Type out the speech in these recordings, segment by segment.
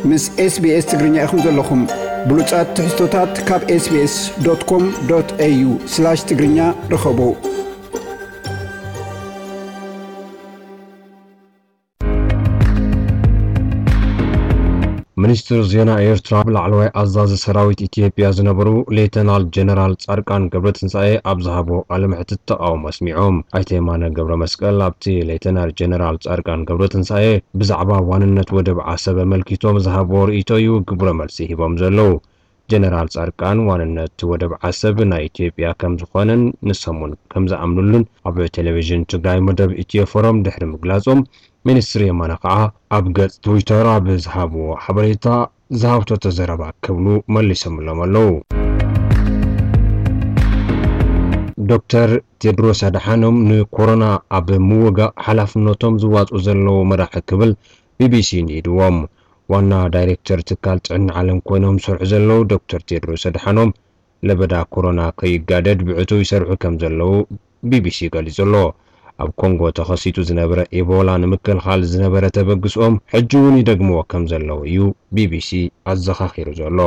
ምስ SBS ትግርኛ ኢኹም ዘለኹም። ብሉጻት ትሕዝቶታት ካብ SBS.com.au/ትግርኛ ርኸቡ። ሚኒስትር ዜና ኤርትራ ላዕለዋይ ኣዛዚ ሰራዊት ኢትዮጵያ ዝነበሩ ሌተናል ጀነራል ጻድቃን ገብረትንሳኤ ኣብ ዝሃቦ ቃለ መሕትት ተቓውሞ ኣስሚዖም። ኣይተ የማነ ገብረ መስቀል ኣብቲ ሌተናል ጀነራል ጻድቃን ገብረትንሳኤ ብዛዕባ ዋንነት ወደብ ዓሰብ ኣመልኪቶም ዝሃብዎ ርእይቶ እዩ ግብረ መልሲ ሂቦም ዘለዉ። ጀነራል ጻድቃን ዋንነት ወደብ ዓሰብ ናይ ኢትዮጵያ ከም ዝኾነን ንሶም እውን ከም ዝኣምኑሉን ኣብ ቴሌቪዥን ትግራይ መደብ ኢትዮ ፎረም ድሕሪ ምግላጾም፣ ሚኒስትር የማነ ከኣ ኣብ ገጽ ትዊተር ኣብ ዝሃብዎ ሓበሬታ ዝሃብቶ ተዘረባ ክብሉ መሊሶምሎም ኣለዉ። ዶክተር ቴድሮስ ኣድሓኖም ንኮሮና ኣብ ምውጋእ ሓላፍነቶም ዝዋጽኡ ዘለዉ መራሒ ክብል ቢቢሲ ንኢድዎም። ዋና ዳይሬክተር ትካል ጥዕና ዓለም ኮይኖም ዝሰርሑ ዘለዉ ዶክተር ቴድሮስ ኣድሓኖም ለበዳ ኮሮና ከይጋደድ ብዕቱብ ይሰርሑ ከም ዘለዉ ቢቢሲ ገሊጹ ኣሎ። ኣብ ኮንጎ ተኸሲቱ ዝነበረ ኤቦላ ንምክልኻል ዝነበረ ተበግስኦም ሕጂ እውን ይደግምዎ ከም ዘለዉ እዩ ቢቢሲ ኣዘኻኺሩ ዘሎ።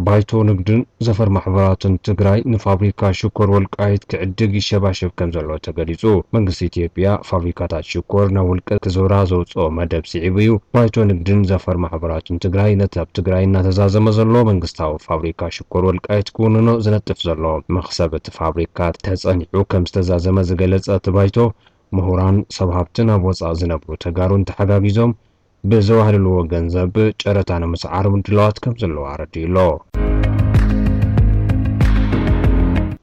ባይቶ ንግድን ዘፈር ማሕበራትን ትግራይ ንፋብሪካ ሽኮር ወልቃይት ክዕድግ ይሸባሸብ ከም ዘሎ ተገሊጹ። መንግስቲ ኢትዮጵያ ፋብሪካታት ሽኮር ናብ ውልቀ ክዞራ ዘውፅኦ መደብ ስዒቡ እዩ። ባይቶ ንግድን ዘፈር ማሕበራትን ትግራይ ነቲ ኣብ ትግራይ እናተዛዘመ ዘሎ መንግስታዊ ፋብሪካ ሽኮር ወልቃይት ክውንኖ ዝነጥፍ ዘሎ መኽሰብ እቲ ፋብሪካ ተጸኒዑ ከም ዝተዛዘመ ዝገለጸ እቲ ባይቶ፣ ምሁራን፣ ሰብ ሃብትን ኣብ ወጻኢ ዝነብሩ ተጋሩን ተሓጋጊዞም ብዘዋህልልዎ ገንዘብ ጨረታ ንምስዓር ምድላዋት ከም ዘለዋ ኣረዲኡ ኣሎ።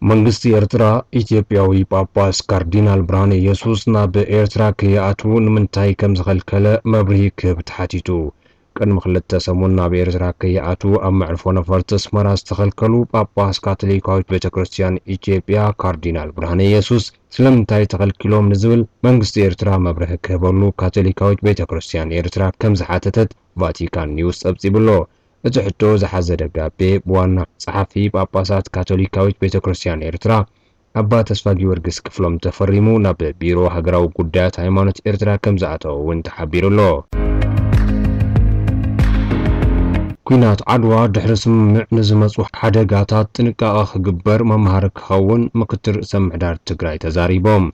መንግስቲ ኤርትራ ኢትዮጵያዊ ጳጳስ ካርዲናል ብርሃነ ኢየሱስ ናብ ኤርትራ ከይኣትዉ ንምንታይ ከም ዝኸልከለ መብርሂ ክህብ ተሓቲቱ። ቅድሚ ክልተ ሰሙን ናብ ኤርትራ ከይኣትዉ ኣብ መዕርፎ ነፈርቲ ኣስመራ ዝተኸልከሉ ጳጳስ ካቶሊካዊት ቤተ ክርስቲያን ኢትዮጵያ ካርዲናል ብርሃነ ኢየሱስ ስለምንታይ ተኸልኪሎም ንዝብል መንግስቲ ኤርትራ መብርሂ ክህበሉ ካቶሊካዊት ቤተ ክርስቲያን ኤርትራ ከም ዝሓተተት ቫቲካን ኒውስ ጸብጺቡ ኣሎ። እቲ ሕቶ ዝሓዘ ደብዳቤ ብዋና ጸሓፊ ጳጳሳት ካቶሊካዊት ቤተ ክርስቲያን ኤርትራ ኣባ ተስፋ ጊዮርጊስ ክፍሎም ተፈሪሙ ናብ ቢሮ ሃገራዊ ጉዳያት ሃይማኖት ኤርትራ ከም ዝኣተወ እውን ተሓቢሩ ኣሎ። ኲናት ዓድዋ ድሕሪ ስምምዕ ንዝመጹ ሓደጋታት ጥንቃቐ ክግበር መምሃሪ ክኸውን ምክትል ርእሰ ምሕዳር ትግራይ ተዛሪቦም።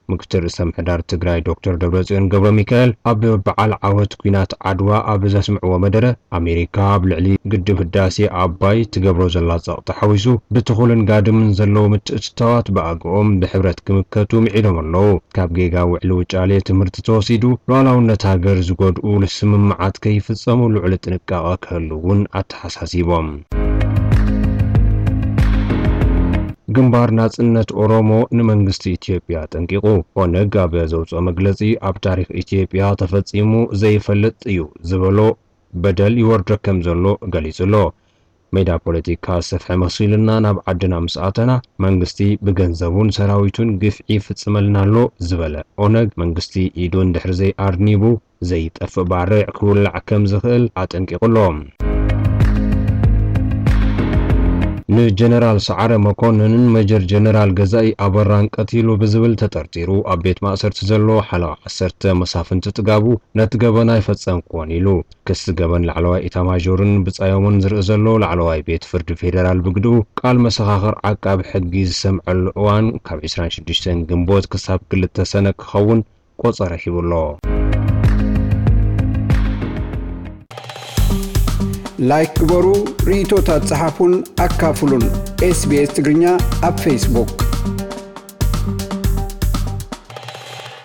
ምክትል ርእሰ ምሕዳር ትግራይ ዶክተር ደብረጽዮን ገብረ ሚካኤል ኣብ በዓል ዓወት ኲናት ዓድዋ ኣብ ዘስምዕዎ መደረ፣ ኣሜሪካ ኣብ ልዕሊ ግድብ ህዳሴ ኣባይ ትገብሮ ዘላ ጸቕጢ ሓዊሱ ብትኹልን ጋድምን ዘለዉ ምትእትታዋት ብኣግኦም ብሕብረት ክምከቱ ምዒዶም ኣለዉ። ካብ ጌጋ ውዕሊ ውጫሌ ትምህርቲ ተወሲዱ ሉዓላውነት ሃገር ዝጎድኡ ስምምዓት ከይፍጸሙ ልዑል ጥንቃቐ ክህሉ እውን ኣተሓሳሲቦም። ግንባር ናጽነት ኦሮሞ ንመንግስቲ ኢትዮጵያ ኣጠንቂቑ። ኦነግ ኣብ ዘውጽኦ መግለጺ ኣብ ታሪኽ ኢትዮጵያ ተፈጺሙ ዘይፈልጥ እዩ ዝበሎ በደል ይወርዶ ከም ዘሎ ገሊጹ ኣሎ። ሜዳ ፖለቲካ ሰፍሐ መሲሉና ናብ ዓድና ምስ ኣተና መንግስቲ ብገንዘቡን ሰራዊቱን ግፍዒ ይፍጽመልና ኣሎ ዝበለ ኦነግ መንግስቲ ኢዱ እንድሕር ዘይኣርኒቡ ዘይጠፍእ ባርዕ ክውላዕ ከም ዝኽእል ኣጠንቂቑ ኣሎ። ንጀነራል ሰዓረ መኮንንን ሜጀር ጀነራል ገዛኢ ኣበራን ቀቲሉ ብዝብል ተጠርጢሩ ኣብ ቤት ማእሰርቲ ዘሎ ሓለዋ ዓሰርተ መሳፍንቲ ጥጋቡ ነቲ ገበን ኣይፈጸምኩዎን ኢሉ። ክሲ ገበን ላዕለዋይ ኢታማዦርን ብጻዮምን ዝርኢ ዘሎ ላዕለዋይ ቤት ፍርዲ ፌደራል ብግድኡ ቃል መሰኻኽር ዓቃቢ ሕጊ ዝሰምዐሉ እዋን ካብ ዕስራን ሽዱሽተን ግንቦት ክሳብ ክልተ ሰነ ክኸውን ቆጸረ ሂቡ ኣሎ። ላይክ ግበሩ፣ ርእይቶታት ጸሓፉን ኣካፍሉን። ኤስቢኤስ ትግርኛ ኣብ ፌስቡክ።